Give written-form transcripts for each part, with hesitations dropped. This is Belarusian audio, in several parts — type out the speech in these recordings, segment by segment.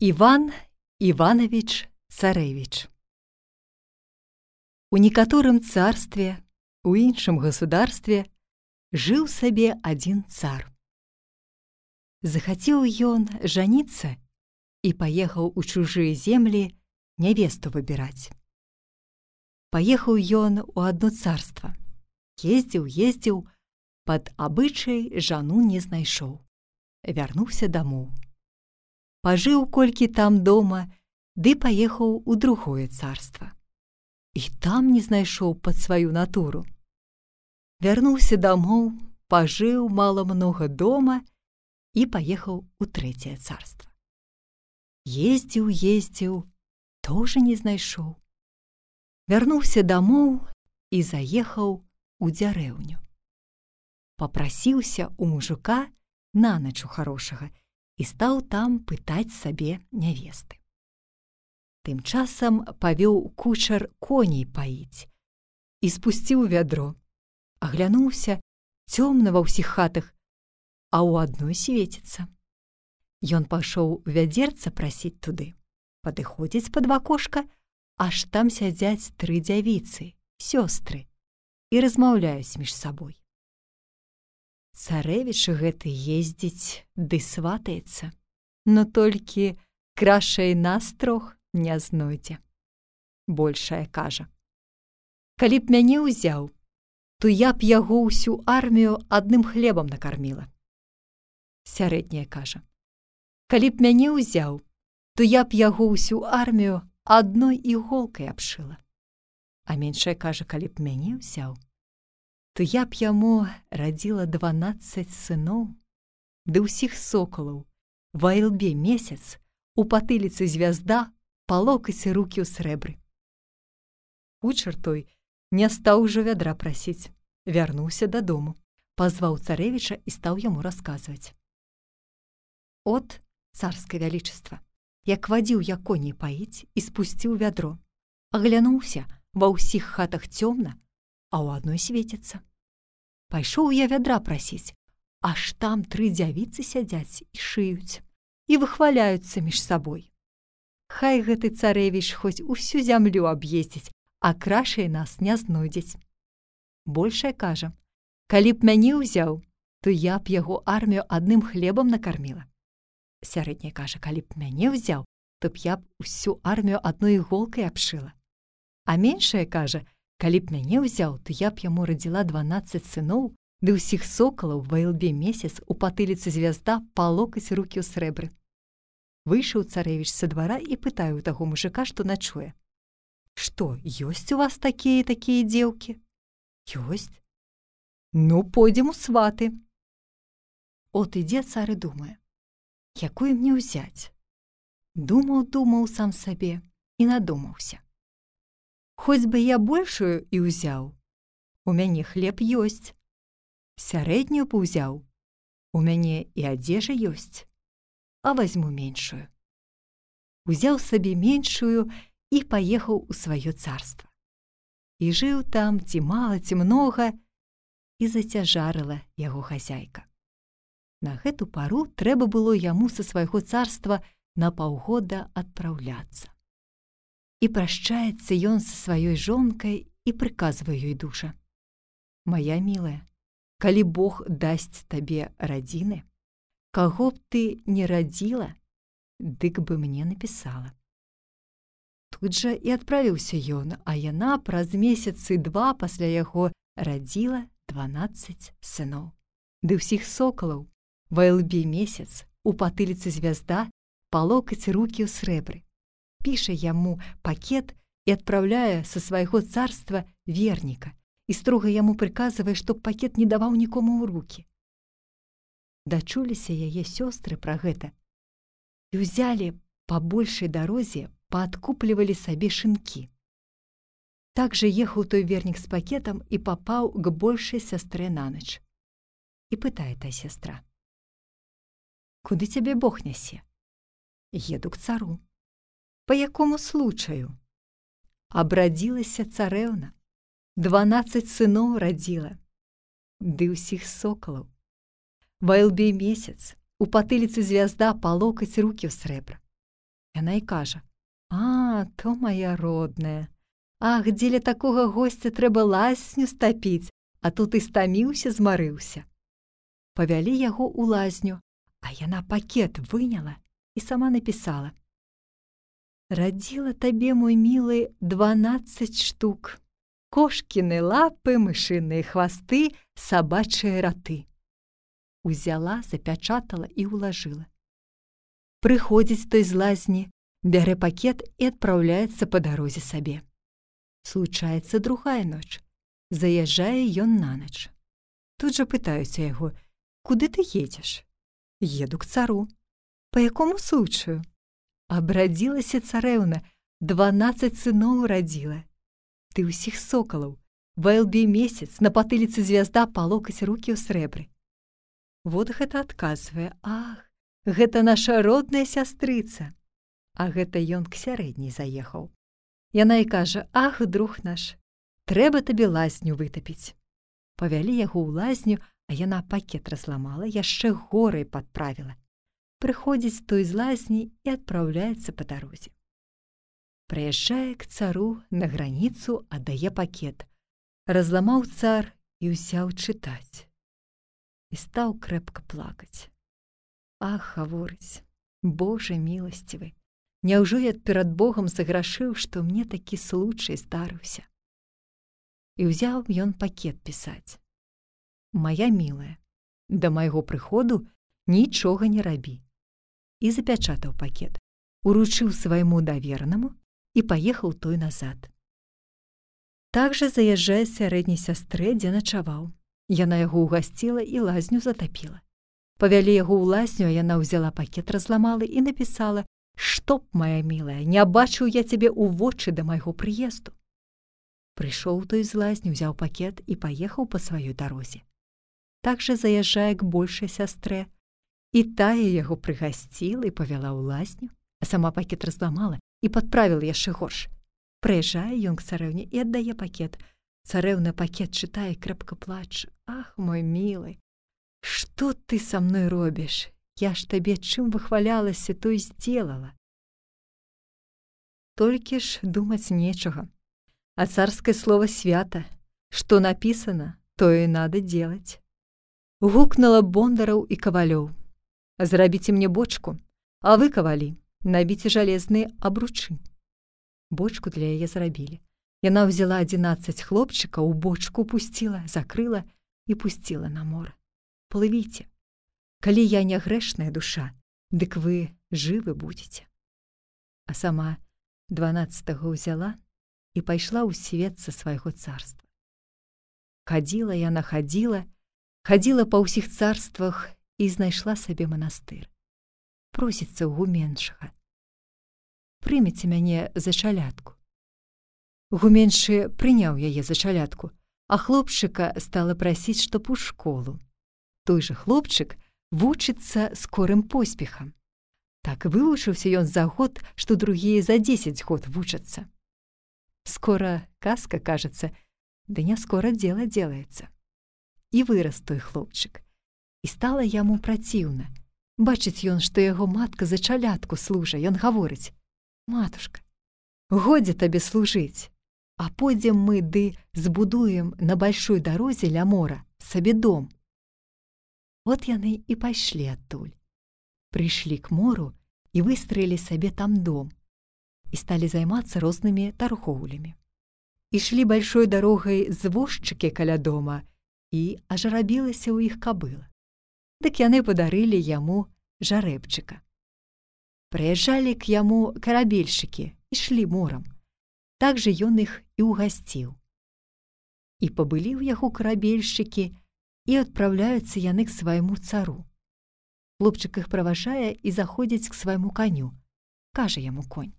Іван Іванович Царэвіч. У некаторым царстве, у іншым государстве жыў сабе адзін цар. Захацеў ён жаніцца і паехаў у чужыя землі нявесту выбіраць. Паехаў ён у адно царства. Ездзіў, пад абычай жану не знайшоў. Вярнуўся дамоў. Пажыў колькі там дома, ды паехаў у другое царства. І там не знайшоў пад сваю натуру. Вярнуўся дамоў, пажыў мала-многа дома і паехаў у трэцяе царства. Ездзіў, тоже не знайшоў. Вярнуўся дамоў і заехаў у дзярэўню. Папрасіўся ў мужика наначу харошага і стаў там пытаць сабе нявесты. Тым часам павёў кучар коней паіць і спусціў вядро. Аглянуўся, цёмна ва ўсіх хатах, а ў адной свеціцца. Ён пашоў вядзерца прасіць туды. Падыходзіць пад вакошка, аж там сядзяць 3 дзявіцы, сёстры, і размаўляюць між сабой. Царэвіч гэты ездзіць ды сватаецца, но толькі крашай нас 3 не знойдзе. Большая кажа: «Калі б мяне ўзяў, то я б яго ўсю армію адным хлебам накарміла». Сярэдняя кажа: «Калі б мяне ўзяў, то я б яго ўсю армію адной іголкай абшыла». А меншая кажа: «Калі б мяне ўзяў, то я б яму радзіла 12 сыноў, ды ўсіх сокалаў, ва ілбе месяц, у патыліцы звязда, па локаць рукі ў срэбры». Кучар той не стаў ужо вядра прасіць, вярнуўся дадому, пазваў царэвіча і стаў яму расказваць. «От, царскае вялічыства, як вадзіў я коней паіць і спусціў вядро, аглянуўся, ва ўсіх хатах цёмна, а ў адной свеціцца. Пайшоў я вядра прасіць, аж там 3 дзявіцы сядзяць і шыюць, і выхваляюцца між сабой. Хай гэты царэвіч хоць усю зямлю аб'ездзіць, а крашай нас не знойдзець». Большая кажа: «Калі б мяне ўзяў, то я б яго армію адным хлебам накарміла». Сярэдняя кажа: «Калі б мяне ўзяў, то б я б усю армію адной іголкай абшыла». А меншая кажа: «Калі б мяне ўзяў, то я б яму радзіла 12 сыноў, ды ўсіх сокалаў ва ілбе месяц, у патыліцы звязда, па локаць рукі ў срэбры». Выйшаў царэвіч са двара і пытае ў таго мужика, што начуе: «Што, ёсць у вас такія дзеўкі?» «Ёсць». «Ну, пойдзем у сваты». От ідзе цар і думае: якую мне ўзяць? Думаў сам сабе і надумаўся: хоць бы я большую і ўзяў, у мяне хлеб ёсць. Сярэднюю б узяў, у мяне і адзежа ёсць, а вазьму меншую. Узяў сабе меншую і паехаў у сваё царства. І жыў там ці мала, ці многа, і зацяжарыла яго хазяйка. На гэту пару трэба было яму са свайго царства на паўгода адпраўляцца. І прашчаецца ён са сваёй жонкай і прыказвае ёй дужа: «Мая мілая, калі Бог дасць табе радзіны, каго б ты не радзіла, дык бы мне напісала». Тут жа і адправіўся ён, а яна праз месяцы 2 пасля яго радзіла 12 сыноў. Ды ўсіх сокалаў ва ілбе месяц, у патыліцы звязда, па локаць рукі ў срэбры. Піша яму пакет і адпраўляе са свайго царства верніка і строга яму прыказвае, што пакет не даваў нікому ў рукі. Дачуліся яе сёстры пра гэта і ўзялі па большай дарозе, паадкуплівалі сабе шынкі. Так жа ехаў той вернік з пакетам і папаў к большай сястрэ нанач. І пытае та сястра: «Куды цябе Бог нясе?» «Еду к цару». «По якому случаю?» «Абрадзілася царэўна, 12 сыноў радзіла, ды ўсіх сокалаў. Ва ілбе месяц, у патыліцы звязда, па локаць рукі ў срэбра. Яна і кажа: «А, то моя родная. Ах, дзеля такога госця трэба лазню стапіць, а тут і стаміўся, змарыўся». Павялі яго ў лазню, а яна пакет выняла і сама напісала: «Радзіла табе, мой мілы, 12 штук. Кошкіны лапы, мышыныя хвасты, сабачыя раты». Узяла, запячатала і ўлажыла. Прыходзіць той з лазні, бярэ пакет і адпраўляецца па дарозе сабе. Случаецца другая ноч. Заязджае ён на ноч. Тут жа пытаюцца яго: «Куды ты едзеш?» «Еду к цару». «По якому случаю?» «Абрадзілася царэўна, 12 сыноў радзіла. Ты ўсіх сокалаў, ва ілбе месяц, на патыліцы звязда, па локаць рукі ў срэбры». Вот гэта адказвае: «Ах, гэта наша родная сястрыца». А гэта ён к сярэдняй заехаў. Яна і кажа: «Ах, друг наш, трэба табе лазню вытапіць». Павялі яго ў лазню, а яна пакет разламала, яшчэ горай падправіла. Прыходзіць той з лазні і адпраўляецца па дарозе. Прыязджае к цару, на граніцу аддае пакет. Разламаў цар і ўзяў чытаць. І стаў крэпка плакаць. «Ах, гаворыць, Боже міласцівы, няўжо я перад Богом заграшыў, што мне такі случай здарыўся?» І ўзяў ён пакет пісаць: «Мая мілая, да майго прыходу нічога не рабі». І запячатаў пакет, уручыў свайму даверанаму і паехаў той назад. Так жа заязджае сярэдняй сястрэ, дзе начаваў. Яна яго ўгасціла і лазню затапіла. Павялі яго ў лазню, а яна ўзяла пакет, разламала і напісала: «Чтоб, моя мілая, не бачыў я цябе ў вочы да майго прыезду». Прыйшоў той з лазні, узяў пакет і паехаў па сваёй дарозе. Так жа заязджае к большай сястрэ, і тая яго прыгасціла і павяла ў лазню, а сама пакет разламала і падправіла яшчэ горш. Прыязджае ён к царэўне і аддае пакет. Царэўна пакет чытае, крэпка плача: «Ах, мой мілы, што ты са мной робіш? Я ж табе чым выхвалялася, то і здзелала». Толькі ж думаць нечага. А царскае слова свята. Што напісана, тое і надо делать. Гукнула бондараў і кавалёў: «Зрабіце мне бочку, а вы, кавалі, набіце жалезныя абручы». Бочку для яе зрабілі. Яна ўзяла 11 хлопчыкаў, у бочку пусціла, закрыла і пусціла на мора. «Плывіце. Калі я не грэшная душа, дык вы жывы будзеце». А сама 12-го ўзяла і пайшла ў свет са свайго царства. Хадзіла яна, хадзіла па ўсіх царствах і знайшла сабе манастыр. Просіцца ў гуменшага: «Прыміце мяне за чалядку». Гуменшы прыняў яе за чалядку, а хлопчыка стала прасіць, чтоб у школу. Той жа хлопчык вучыцца скорым поспехам. Так вывучыўся ён за год, што другія за 10 год вучацца. Скоро казка кажется, да не скоро дело делается. І вырас той хлопчык. І стала яму праціўна. Бачыць ён, што яго матка за чалядку служа. Ён гаворыць: «Матушка, годзе табе служыць, а пойдзем мы ды збудуем на большой дарозе ля мора сабе дом». Вот яны і пайшлі адтуль. Прыйшлі к мору і выстраілі сабе там дом. І сталі займацца рознымі таргоўлямі. Ішлі большой дарогай звозчыкі каля дома, і аж рабілася ў іх кабыла. Дык яны падарылі яму жарэбчыка. Прыязджалі к яму карабельшчыкі, ішлі морам. Так жа ён іх і ўгасціў. І пабылі ў яго карабельшчыкі, і адпраўляюцца яны к свайму цару. Хлопчык іх праважае і заходзіць к свайму каню. Кажа яму конь: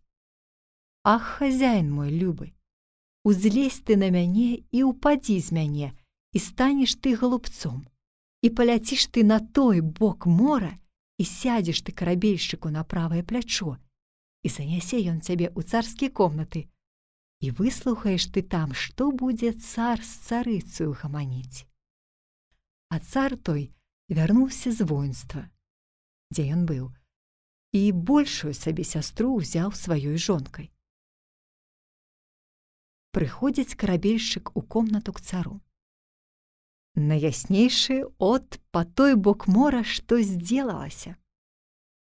«Ах, хазяін мой любы, узлезь ты на мяне і упадзі з мяне, і станеш ты голубцом, і паляціш ты на той бок мора, і сядзеш ты карабельшчыку на правае плячо, і занясе ён цябе ў царскія комнаты, і выслухаеш ты там, што будзе цар з царыцаю гаманіць». А цар той вярнуўся з воінства, дзе ён быў. і большую сабе сястру ўзяў сваёй жонкай. Прыходзіць карабельшчык у комнату к цару. Наяснейшы от па той бок мора што здзелалася.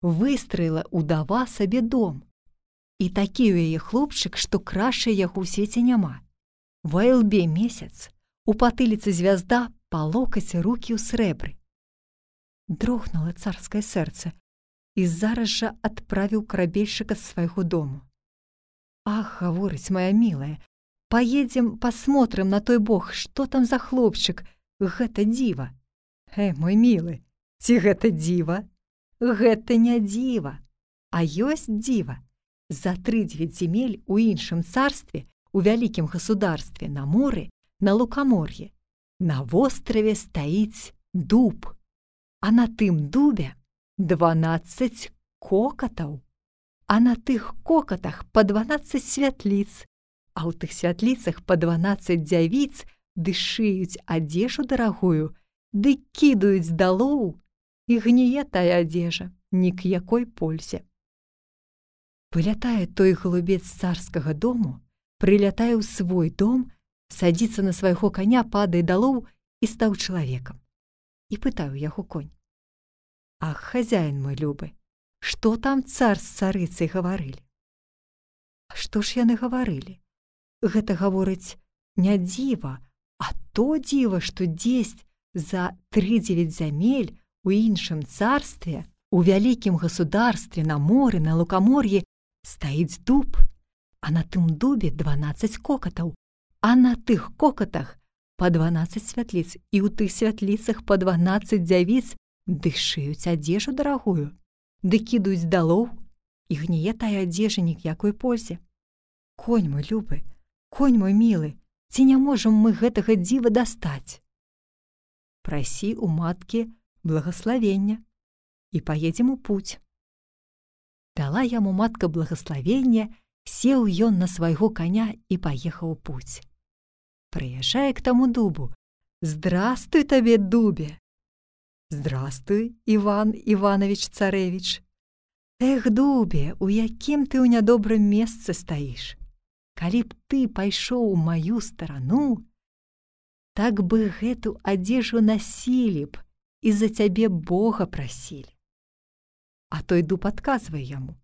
Выстраіла удава сабе дом. І такі ў яе хлопчык, што краще яго ў свеце няма. Ва ілбе месяц, у патыліцы звязда, па локаць рукі ў срэбры. Дрогнула царскае сэрца і зараз жа адправіў карабельшчыка з свайго дому. «Ах, — гаворыць, моя мілая, — поедзем посмотрим на той бок, што там за хлопчык, гэта дзіва». Мой мілы, ці гэта дзіва? Гэта не дзіва, а ёсць дзіва. За 3/9 земель у іншым царстве, у вялікім государстве, на моры, на лукамор'і, на востраве стаіць дуб, а на тым дубе 12 кокатаў, а на тых кокатах па 12 святліц, а ў тых святліцах па 12 дзявіц ды шыюць адзежу дарагую, ды кідаюць далоў, і гніе тая адзежа, ні к якой пользе. Вылятае той голубец з царскага дому, прылятае ў свой дом, садзіцца на свайго коня, падае далоў і стаў чалавекам. І пытаю яго конь: «Ах, хазяін мой любы, што там цар з царыцай гаварылі?» «А што ж яны гаварылі? Гэта, гаворыць, не дзіва, а то дзіва, што дзесьць за 3/9 зямель у іншым царстве, у вялікім государстве, на моры, на лукамор'і стаіць дуб, а на тым дубе 12 кокатаў, а на тых кокатах па 12 святліц, і ў тых святліцах па 12 дзявіц ды шыюць адзежу дарагую, ды кідаюць далоў, і гніе тая адзежа ні к якой пользе. Конь мой любы, конь мой мілы, ці не можам мы гэтага дзіва дастаць?» «Прасі у маткі благаславення і паедзем у путь». Дала яму матка благаславення, сеў ён на свайго коня і паехаў у путь. Прыязджае к таму дубу. «Здрастуй табе, дубе!» «Здрастуй, Іван Іванович царэвіч!» «Эх, дубе, у якім ты ў нядобрым месцы стаіш? Калі б ты пайшоў у маю старану, так бы гэту адзежу насілі б і за цябе Бога прасілі». А той дуб адказвае яму: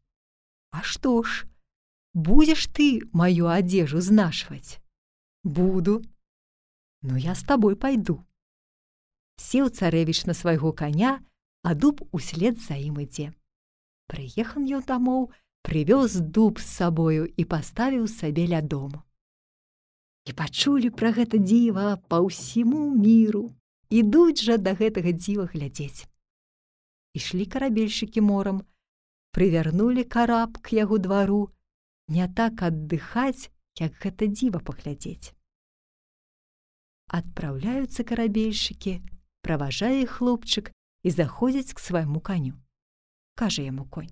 «А што ж, будзеш ты маю адзежу знашваць?» «Буду». «Ну, я з табой пайду». Сеў царэвіч на свайго коня, а дуб услед за ім ідзе. Прыехаў ён дамоў, прывёз дуб з сабою і паставіў сабе ля дому. І пачулі пра гэта дзіва па ўсіму міру, ідуць жа да гэтага дзіва глядзець. Ішлі карабельшчыкі морам, прывярнулі караб к яго двару, не так аддыхаць, як гэта дзіва паглядзець. Адпраўляюцца карабельшчыкі, праважае іх хлопчык і заходзяць к свайму каню. Кажа яму конь: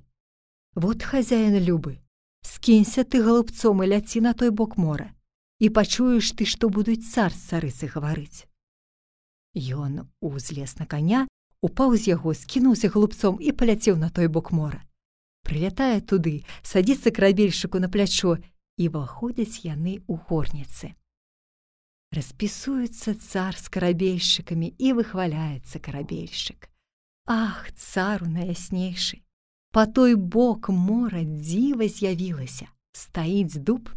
«Вот, хазяін любы, скінься ты голубцом і ляці на той бок мора, і пачуеш ты, што будуць цар з царыцай гаварыць». Ён узлез на коня, упаў з яго, скінуўся голубцом і паляцеў на той бок мора. Прылятае туды, садзіцца карабельшчыку на плячо, і выходзяць яны ў горніцы. Распісуецца цар з карабельшчыкамі і выхваляецца карабельшчык: «Ах, цару наяснейшы, па той бок мора дзіва з'явілася, стаіць дуб,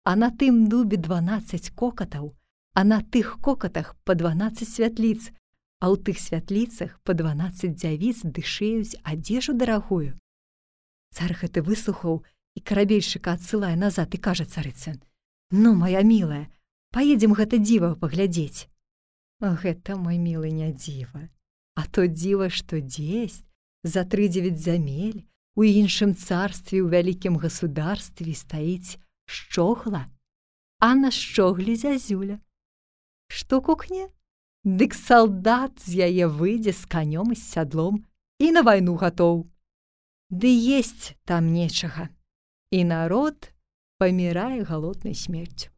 а на тым дубе 12 кокатаў, а на тых кокатах па 12 святліц, а ў тых святліцах па 12 дзявіц ды шыюць адзежу дарагую». Цар гэты выслухаў і карабельшчыка адсылае назад і кажа царыцы: «Ну, моя мілая, паедзем гэта дзіва паглядзець». «Гэта, мой мілы, не дзіва, а то дзіва, што дзесьць за 3/9 зямель у іншым царстве, у вялікім государстве стаіць шчогла, а на шчоглі зязюля. Што кукне? Дык салдат з яе выйдзе з канём і з сядлом і на вайну гатоў. Ды есць там нечага, і народ памірае галоднай смерцю».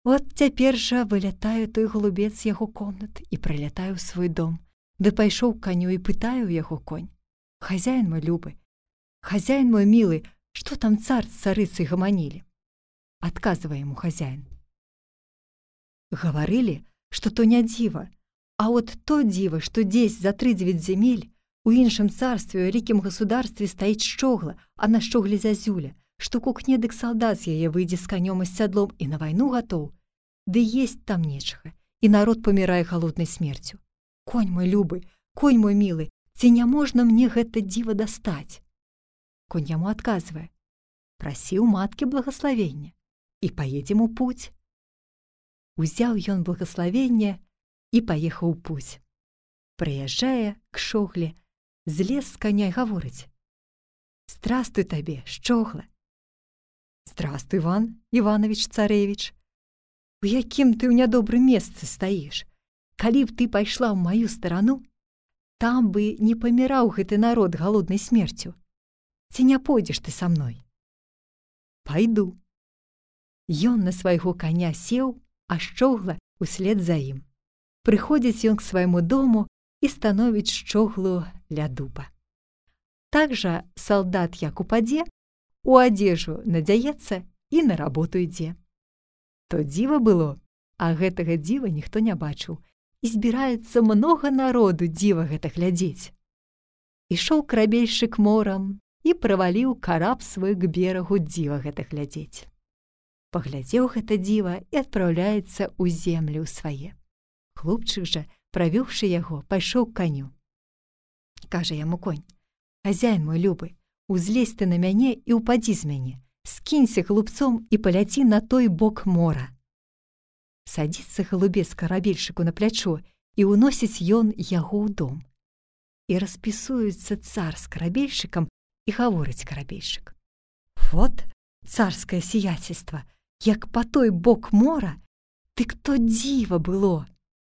От цяпер жа вылятае той голубец з яго комнат і прылятае ў свой дом, ды пайшоў к каню і пытае ў яго конь: «Хазяін мой любы, «Хозяин мой милый, что там царь с царицей гомонили?» Отказывая ему хозяин. Говорили, что то не диво, а вот то диво, что здесь за 39 земель у іншым царстве, у вялікім государстве стаіць шчогла, а на шчогле зязюля, што кукне дык салдат з яе выйдзе з канём і з сядлом і на вайну гатоў, ды есть там нечага, і народ памірае халоднай смерцю. Конь мой любы, конь мой мілы, ці не можна мне гэта дзіва дастаць? Конь яму адказвае: «Прасі ў маткі благаславення, і паедзем у путь». Узяў ён благаславенне і паехаў у путь. Прыязджае к шогле, злез з коня і гаворыць: «Здравствуй табе, шчогла!» «Здравствуй, Иван Иванович царевич! У якім ты ў нядобрым месцы стаіш? Калі б ты пайшла ў маю старану, там бы не паміраў гэты народ галоднай смерцю. Ці не пойдзеш ты са мной?» «Пайду». Ён на свайго коня сеў, а шчогла услед за ім. Прыходзіць ён к свайму дому і становіць шчоглу ля дуба. Так жа салдат як упадзе, у адзежу надзяецца і на работу ідзе. То дзіва было, а гэтага дзіва ніхто не бачыў, і збіраецца многа народу дзіва гэта глядзець. Ішоў карабельшчык морам і праваліў караб свой к берагу дзіва гэта глядзець. Паглядзеў гэта дзіва і адпраўляецца ў землю свае. Хлопчык жа, правёўшы яго, пайшоў к каню. Кажа яму конь: «Хазяін мой любы, узлезь ты на мяне і ўпадзі з мяне, скінься глупцом і паляці на той бок мора». Садзіцца галубец карабельшчыку на плячо, і ўносіць ён яго ў дом. І распісуецца цар з карабельшчыкам, і гаворыць карабельшчык: «Вот царскае сиятельство, як па той бок мора, дык то дзіва было.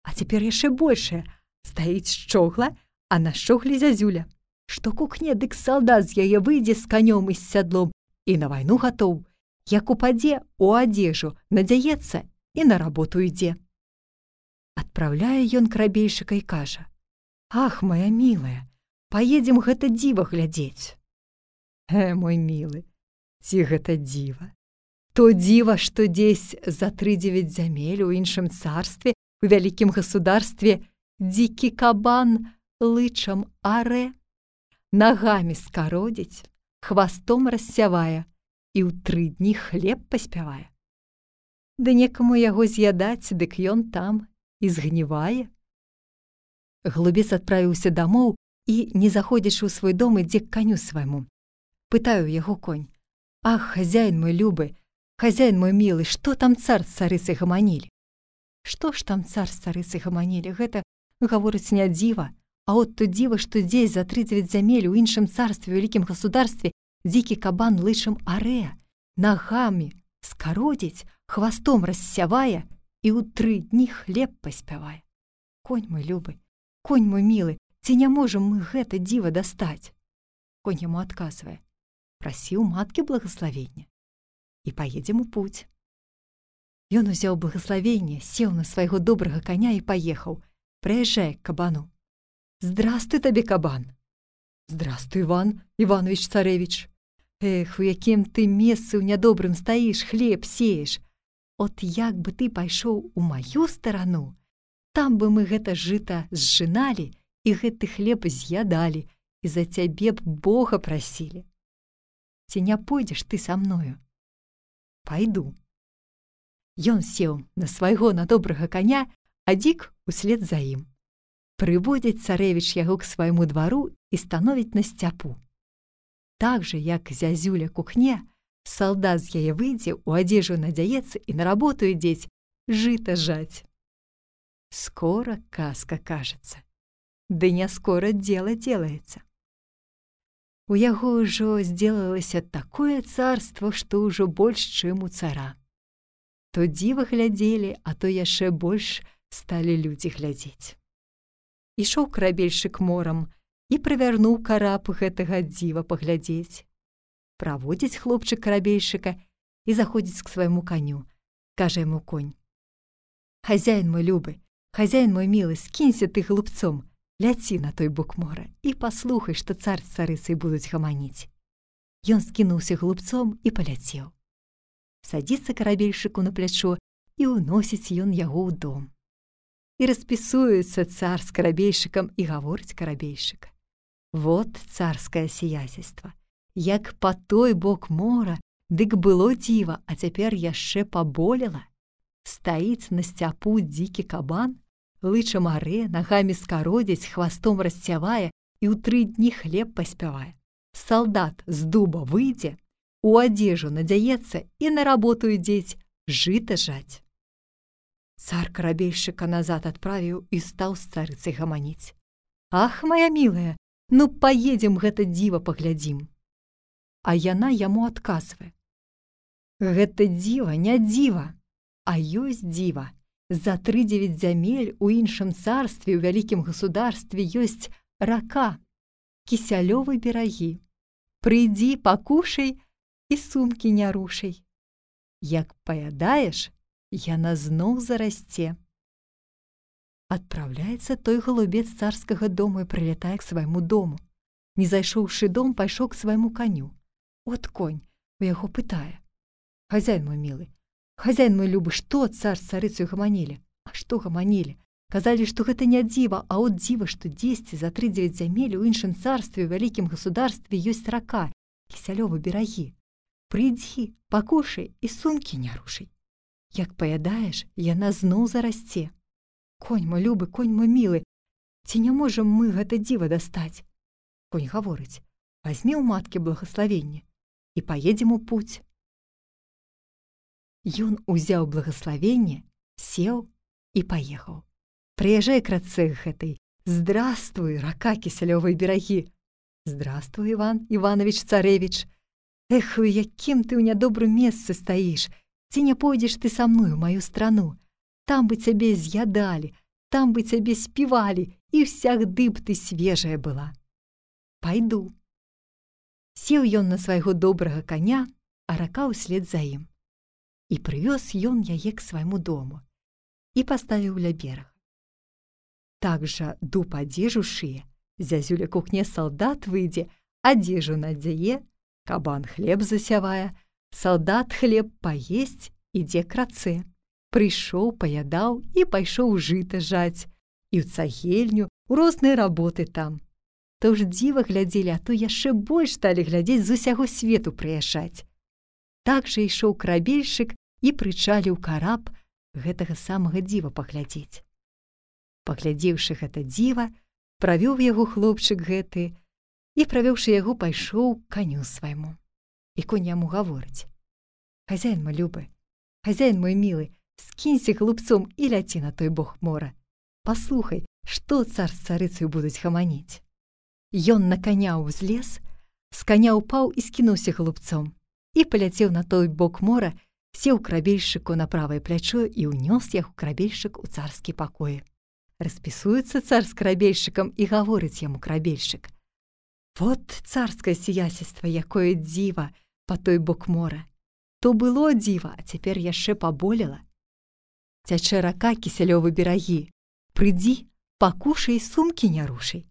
А цяпер яшчэ большае, стаіць шчогла, а на шчогле зязюля, што кукне, дык салдат з яе выйдзе з канём і з сядлом і на вайну гатоў, як упадзе, у адзежу надзяецца і на работу ідзе». Адпраўляе ён карабельшчыка і кажа: «Ах, моя мілая, паедзем гэта дзіва глядзець». Мой мілы, ці гэта дзіва? То дзіва, што дзесь за 39 зямель у іншым царстве, у вялікім государстве, дзікі кабан лычам арэ, нагамі скародзіць, хвастом рассявае і ў 3 дні хлеб паспявае. Ды некаму яго з'ядаць, дык ён там і згнівае. Глубец адправіўся дамоў і, не заходзячы ў свой дом, ідзе к каню свайму. Пытаю яго конь: «Ах, хазяін мой любы, хазяін мой мілы, што там цар з царыцай гаманілі?» «Што ж там цар з царыцай гаманілі? Гэта, гаворыць, не дзіва, а от то дзіва, што здесь за 39 зямель у іншым царстве, у вялікім государстве, дзікі кабан лычам арэ, нагамі скародзіць, хвастом рассявае і ў 3 дні хлеб паспявае. Конь мой любы, конь мой мілы, ці не можам мы гэта дзіва дастаць?» Конь яму адказвае: «Прасі ў маткі благаславення, і паедзем у путь». Ён узяў благаславенне, сеў на свайго добрага коня і паехаў. Прыязджае к кабану: «Здравствуй табе, кабан!» «Здравствуй, Иван Иванович царевич! Эх, у якім ты месцы ў нядобрым стаіш, хлеб сееш. От як бы ты пайшоў у маю старану, там бы мы гэта жыта зжыналі і гэты хлеб з'ядалі, і за цябе б Бога прасілі. Ці не пойдзеш ты са мною?» «Пайду». Ён сеў на свайго надобрага коня, а дзік услед за ім. Прыводзіць царэвіч яго к свайму двару і становіць на сцяпу. Так жа, як зязюля кухне, салдат з яе выйдзе, у адзежу надзяецца і на работу ідзець жыта жаць. Скоро казка кажется, ды не скоро дело делается. У яго ўжо сделалася такое царство, што ўжо больш, чым у цара. То дзіва глядзелі, а то яшчэ больш сталі людзі глядзець. Ішоў карабельшчык морам і прывярнуў караб гэтага дзіва паглядзець. Праводзіць хлопчык карабельшчыка і заходзіць к свайму каню. Кажа яму конь: «Хазяін мой любы, хазяін мой мілы, скінься ты глупцом, ляці на той бок мора і паслухай, што цар з царыцай будуць гаманіць». Ён скінуўся глупцом і паляцеў. Садзіцца карабельшыку на плячо, і ўносіць ён яго ў дом. І распісуецца цар з карабельшыкам, і гаворыць карабельшык: «Вот царскае сиятельства, як па той бок мора, дык было дзіва, а цяпер яшчэ паболела. Стаіць на сцяпу дзікі кабан, лычам аре, нагамі скародзіць, хвастом расцявае і ў 3 дні хлеб паспявае. Салдат з дуба выйдзе, у адзежу надзяецца і на работу ідзець жыта жаць». Цар карабельшыка назад адправіў і стаў з царыцай гаманіць: «Ах, моя мілая, ну паедзем гэта дзіва паглядзім». А яна яму адказвае: «Гэта дзіва не дзіва, а ёсць дзіва. За 3-9 зямель у іншым царстве, у вялікім государстве ёсць рака, Кісялёвы берагі. Прыйдзі, пакушай і сумкі не рушай. Як паядаеш, яна зноў зарасце». Адпраўляецца той галубец царскага дому і прылятае к свайму дому. Не зайшоўшы дом, пайшоў к свайму каню. От конь у яго пытае: «Хазяин мой мілы, хазяин мой любы, што цар з царыцаю гаманілі?» «А што гаманілі? Казалі, што гэта не дзіва, а от дзіва, што дзесьці за 3-9 зямель у іншым царстве, у вялікім государстве ёсць рака, Кісялёвы берагі. Прыйдзі, пакушай і сумкі не рушай. Як паядаеш, яна зноў зарасце. Конь мой любы, конь мой мілы, ці не можам мы гэта дзіва дастаць?» Конь гаворыць: «Вазьмі ў маткі благаславенне і паедзем у путь». Ён узяў благаславенне, сеў і паехаў. Прыязджае к рацэ гэтай: «Здравствуй, рака Кісялёвай берагі!» «Здравствуй, Іван Іванович царэвіч! Эх, у якім ты ў нядобрым месцы стаіш! Ці не пойдзеш ты са мной у маю страну? Там бы цябе з'ядалі, там бы цябе співалі, і всягды б ты свежая была». «Пайду». Сеў ён на свайго добрага каня, а рака ўслед за ім. І прывёз ён яе к свайму дому і паставіў ля берага. Так жа дуб адзежу шые, зязюля кухне салдат выйдзе, адзежу надзяе, кабан хлеб засявае, салдат хлеб паесць, ідзе к рацэ. Прыйшоў, паядаў і пайшоў жыта жаць, і ў цагельню, у розныя работы там. То ж дзіва глядзелі, а то яшчэ больш сталі глядзець, з усяго свету прыязджаць. Так жа ішоў карабельшык і прычаліў караб гэтага самага дзіва паглядзець. Паглядзеўшы гэта дзіва, правёў яго хлопчык гэты і, правёўшы яго, пайшоў к каню свайму. І конь яму гаворыць: «Хазяин мой любы, хазяин мой мілы, скінься глупцом і ляці на той бок мора. Паслухай, што цар з царыцаю будуць гаманіць». Ён на каня ўзлез, з каня ўпаў і скінуўся глупцом, і паляцеў на той бок мора, сеў карабельшыку на правае плячо і ўнёс яго карабельшык у царскі пакоі. Распісуецца цар з карабельшыкам і гаворыць яму карабельшык: «Вот царскае сиятельства, якое дзіва па той бок мора. То было дзіва, а цяпер яшчэ паболела. Цячэ рака Кісялёвы берагі. Прыйдзі, пакушай, сумкі не рушай.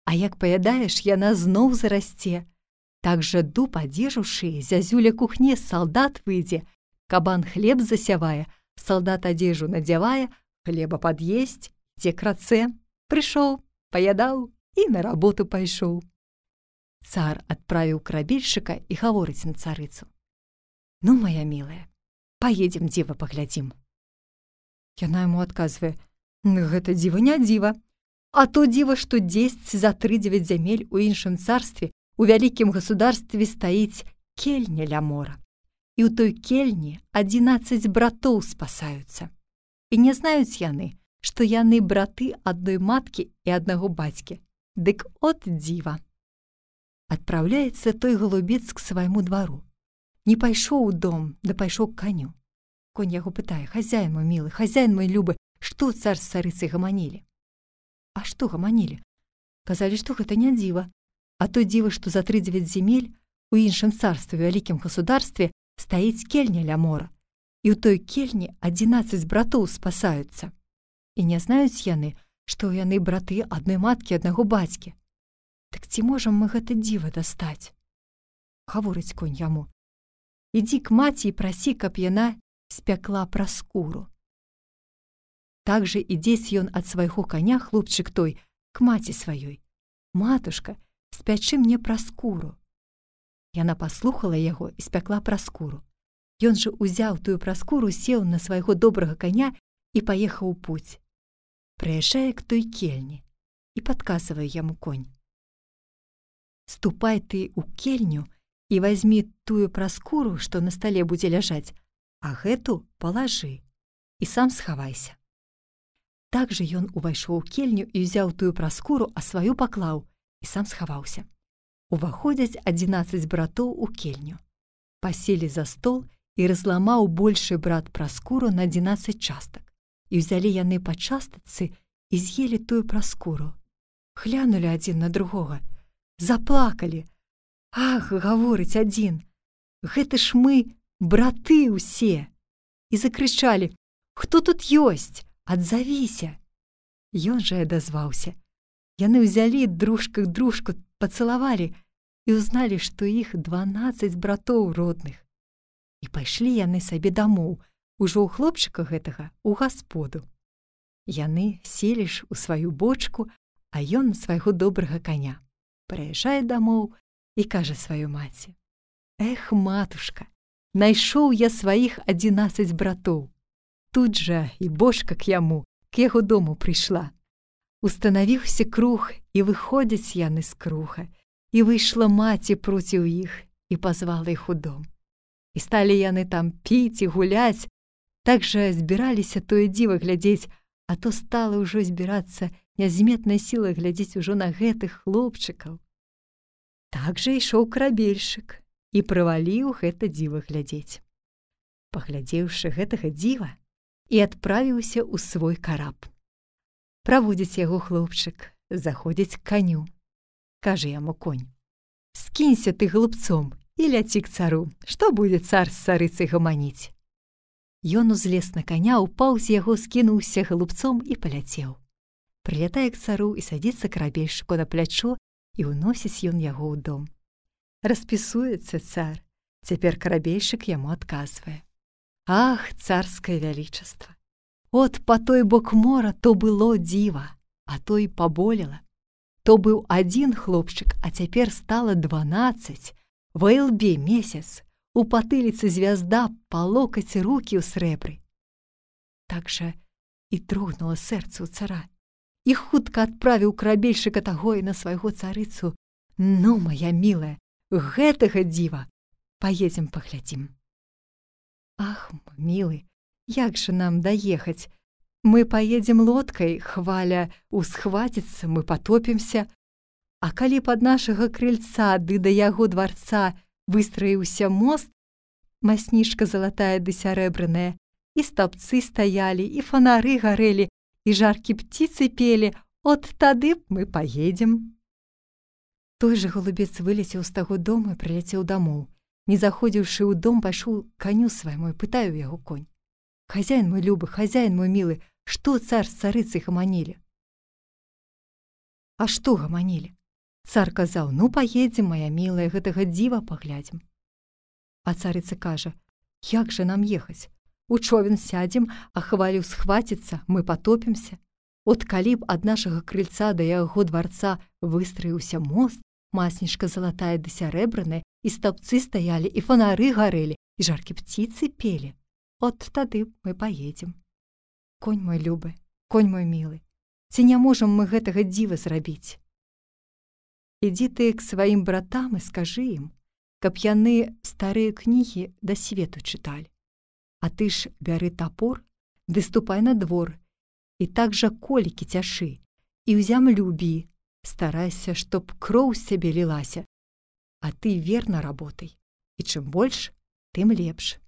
А як паядаеш, яна зноў зарасце. Так жа дуб адзежу шые, зязюля кухне, салдат выйдзе, кабан хлеб засявае, салдат адзежу надзявае, хлеба пад'есць, ідзе к рацэ. Прыйшоў, паядаў і на работу пайшоў». Цар адправіў карабельшыка і гаворыць на царыцу: «Ну, моя мілая, паедзем дзіва паглядзім». Яна яму адказвае: «Гэта дзіва не дзіва, а то дзіва, што дзесьці за 3-9 зямель у іншым царстве, у вялікім государстве стаіць кельня ля мора. І ў той кельні 11 братоў спасаюцца. І не знаюць яны, што яны браты адной маткі і аднаго бацькі. Дык от дзіва». Адпраўляецца той галубец к свайму двару. Не пайшоў у дом, да пайшоў к каню. Конь яго пытае: «Хазяин мой мілы, хазяин мой любы, што цар з царыцай гаманілі?» «А што гаманілі? Казалі, што гэта не дзіва, а то дзіва, што за 3-9 зямель у іншым царстве, у вялікім государстве стаіць кельня ля мора, і ў той кельні 11 братоў спасаюцца. І не знаюць яны, што яны браты адной маткі, аднаго бацькі. Так ці можам мы гэта дзіва дастаць?» гаворыць конь яму. Ідзі к маці і прасі, каб яна спякла праскуру. Так жа ідзець ён ад свайго каня, хлопчык той, к маці сваёй. Матушка, спячы мне праскуру. Яна паслухала яго і спякла праскуру. Ён жа узяў тую праскуру, сеў на свайго добрага каня і паехаў у путь. Прыязджае к той кельні і падказвае яму конь. Ступай ты ў кельню і вазьмі тую праскуру, што на стале будзе ляжаць, а гэту палажы і сам схавайся. Так жа ён увайшоў у кельню і ўзяў тую праскуру, а сваю паклаў і сам схаваўся. Уваходзяць 11 братоў у кельню. Паселі за стол і разламаў большы брат праскуру на 11 частак. І ўзялі яны па частачцы і з'елі тую праскуру. Глянулі адзін на другога, заплакалі. Ах, гаворыць адзін, гэта ж мы, браты ўсе. І закрычалі: хто тут ёсць? Адзавіся. Ён жа адазваўся. Яны ўзялі дружка дружку, пацалавалі і ўзналі, што іх 12 братоў родных. І пайшлі яны сабе дамоў, ужо ў хлопчыка гэтага у гасподу. Яны селі ж у сваю бочку, а ён на свайго добрага каня. Прыязджае дамоў і кажа сваёй маці: эх, матушка, найшоў я сваіх 11 братоў. Тут жа і бочка к яму, к яго дому прыйшла. Устанавіўся круг, і выходзяць яны з круга, і выйшла маці проціў іх і пазвала іх у дом. І сталі яны там піць і гуляць. Так жа збіраліся тое дзіва глядзець, а то стала ўжо збірацца нязметная сіла глядзець ужо на гэтых хлопчыкаў. Так жа ішоў карабельшчык і прываліў гэта дзіва глядзець. Паглядзеўшы гэтага дзіва, і адправіўся ў свой караб. Праводзіць яго хлопчык, заходзіць к каню. Кажа яму конь: скінься ты глупцом і ляці к цару, што будзе цар з царыцай гаманіць. Ён узлез на каня, упаў з яго, скінуўся глупцом і паляцеў. Прылятае к цару і садзіцца карабельшчыку на плячо, і ўносіць ён яго ў дом. Распісуецца цар. Цяпер карабельшчык яму адказвае: ах, царскае вялічаства! От па той бок мора то было дзіва, а то і паболела. То быў адзін хлопчык, а цяпер стала 12. Ва ілбе месяц, у патыліцы звязда, па локаць рукі ў срэбры. Так жа і трогнула сэрца ў цара. І хутка адправіў карабельшчыка таго і на свайго царыцу: ну, моя мілая, гэтага дзіва паедзем паглядзім. Ах, мілы, як жа нам даехаць? Мы паедзем лодкай, хваля усхваціцца, мы патопімся. А калі пад нашага крыльца ды да яго дварца выстраіўся мост, маснішка залатая ды сярэбраная, і стаўбцы стаялі, і фанары гарэлі, і жаркі птіцы пелі, от тады б мы паедзем. Той жа голубец вылецеў з таго дома і прыляцеў дамоў. Не заходзіўшы ў дом, пайшоў каню свайму і пытае ў яго конь: хазяін мой любы, хазяін мой мілы, што цар з царыцай гаманілі? А што гаманілі? Цар казаў: ну, паедзем, моя мілая, гэтага дзіва паглядзім. А царыца кажа: як жа нам ехаць? У човен сядзем, а хвалю схваціцца, мы патопімся. От калі б ад нашага крыльца да яго дварца выстраіўся мост, маснішка залатая ды сярэбраная, і стаўбцы стаялі, і фанары гарэлі, і жаркі птіцы пелі, от тады мы паедзем. Конь мой любы, конь мой мілы, ці не можам мы гэтага дзіва зрабіць? Ідзі ты к сваім братам і скажы ім, каб яны старыя кнігі да свету чыталі. А ты ж бяры тапор, ды ступай на двор, і так жа колікі цяшы, і ў зямлю бі, старайся, чтоб кроў з цябе лілася, а ты верна работай, і чым больш, тым лепш.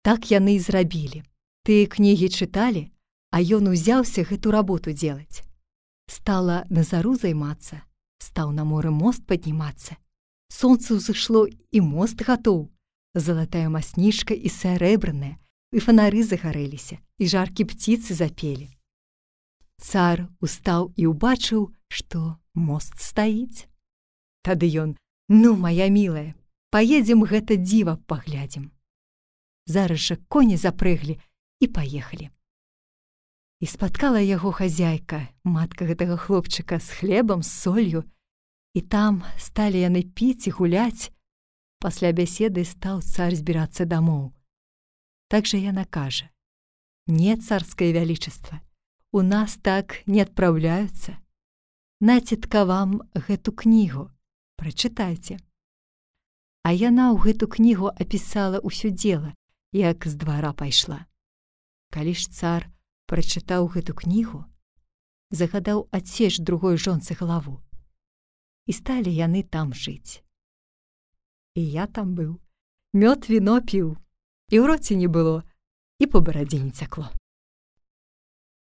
Так яны і зрабілі. Тыя кнігі чыталі, а ён узяўся гэту работу делаць. Стала на зару займацца, стаў на моры мост паднімацца. Сонца ўзышло, і мост гатоў. Залатая маснішка і сярэбраная, і фанары загарэліся, і жаркі птіцы запелі. Цар устаў і ўбачыў, што мост стаіць. Тады ён: ну, моя мілая, Паедзем гэта дзіва паглядзім. Зараз жа коні запрыглі і паехалі. І спаткала яго хазяйка, матка гэтага хлопчыка, з хлебам, з солью, і там сталі яны піць і гуляць. Пасля бяседы стаў цар збірацца дамоў. Так жа яна кажа: «Не, царскае вялічаства, у нас так не адпраўляюцца. Націтка вам гэту кнігу, прачытайце». А яна ў гэту кнігу апісала ўсё дзела, як з двара пайшла. Калі ж цар прачытаў гэту кнігу, загадаў адсечь другой жонцы галаву. І сталі яны там жыць. І я там быў, мёд віно піў, і ў роце не было, і па барадзе не цякло.